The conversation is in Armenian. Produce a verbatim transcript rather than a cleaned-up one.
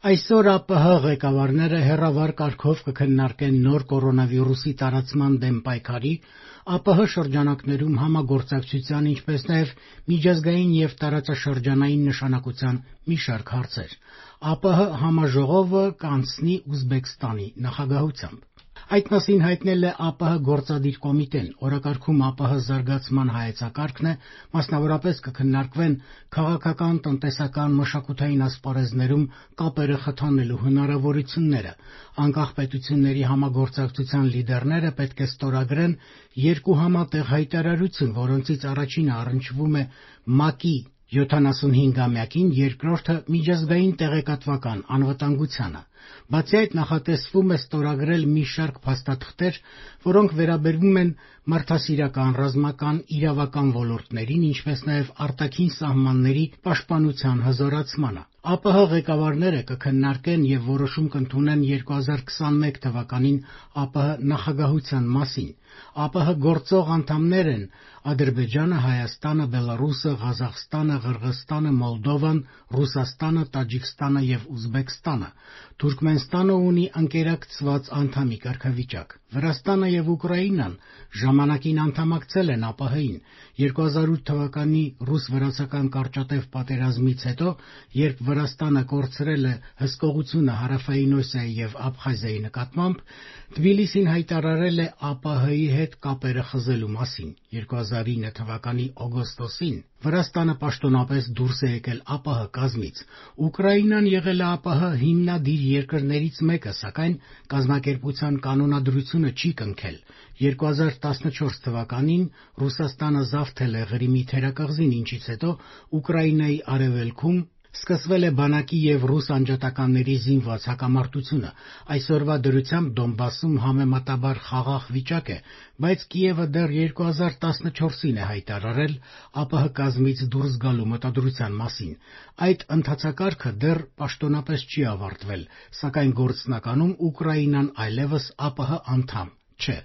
Այսօր ԱՊՀ ղեկավարները հեռավար կարգով կքննարկեն նոր կորոնավիրուսի տարածման դեմ պայքարի, ԱՊՀ շրջանակներում համագործակցության, ինչպես նաև միջազգային և տարածաշրջանային նշանակության մի շարք հարցեր։ ԱՊՀ համաժողովը կանցնի Ուզբեկստանի նախագահությամբ։ Այդ մասին հայտնել է ԱՊՀ գործադիր կոմիտեն։ Օրակարգում ԱՊՀ զարգացման հայեցակարգն է, մասնավորապես կքննարկվեն քաղաքական, տնտեսական, մշակութային ասպարեզներում կապերը խթանելու հնարավորությունները։ Անկախ պետությունների համագործակցության լիդերները պետք է ստորագրեն երկու համատեղ հայտարարություն, որոնցից առաջինը առնչվում է ՄԱԿ-ի յոթանասունհինգամյակին, երկրորդը միջազգային տեղեկատվական անվտանգությանը։ Բացի այդ, նախատեսվում է ստորագրել մի շարք փաստաթղթեր, որոնք վերաբերում են մարդասիրական, ռազմական, իրավական ոլորտներին, ինչպես նաև արտաքին սահմանների պաշտպանության հզորացմանը։ ԱՊՀ ղեկավարները կքննարկեն և որոշում կընդունեն երկու հազար քսաներկու թվականին ԱՊՀ նախագահության մասին։ ԱՊՀ գործող անդամներ են Ադրբեջանը, Հայաստանը, Բելառուսը, Ղազախստանը, Ղրղըզստանը, Մոլդովան, Ռուսաստանը, Տաջիկստանը և Ուզբեկստանը։ Թուրքմենստանը ունի ընկերակցված անդամի կարգավիճակ։ Վրաստանը և Ուկրաինան ժամանակին անդամակցել են ԱՊՀ-ին։ երկու հազար ութ թվականի ռուս-վրացական կարճատև պատերազմից հետո, երբ Վրաստանը կորցրել է հսկողությունը Հարավային Օսիայի և Աբխազիայի նկատմամբ, Թբիլիսին հայտարարել է ԱՊՀ-ի հետ կապերը խզելու մասին։ երկու հազար ինը թվականի օգոստոսին Վրաստանը պաշտոնապես դուրս է եկել ԱՊՀ կազմից։ Ուկրաինան եղել է ԱՊՀ հիմնադիր երկրներից մեկը, սակայն կազմակերպության կանոնադրությունը չի կնքել։ երկու հազար տասնչորս թվականին Ռուսաստանը զավթել է Ղրիմի թերակղզին, ինչից հետո Ուկրաինայի արևելքում սկսվել է բանակի և ռուս անջատականների զինված հակամարտությունը։ Այսօրվա դրությամբ Դոնբասում համեմատաբար խաղաղ վիճակ է, բայց Կիևը դեռ երկու հազար տասնչորսին է հայտարարել ԱՊՀ կազմից դուրս գալու մտադրության մասին։ Այդ ընթացակարգը դեռ պաշտոնապես չի ավարտվել, սակայն գործնականում Ուկրաինան այլևս ԱՊՀ անդամ չէ։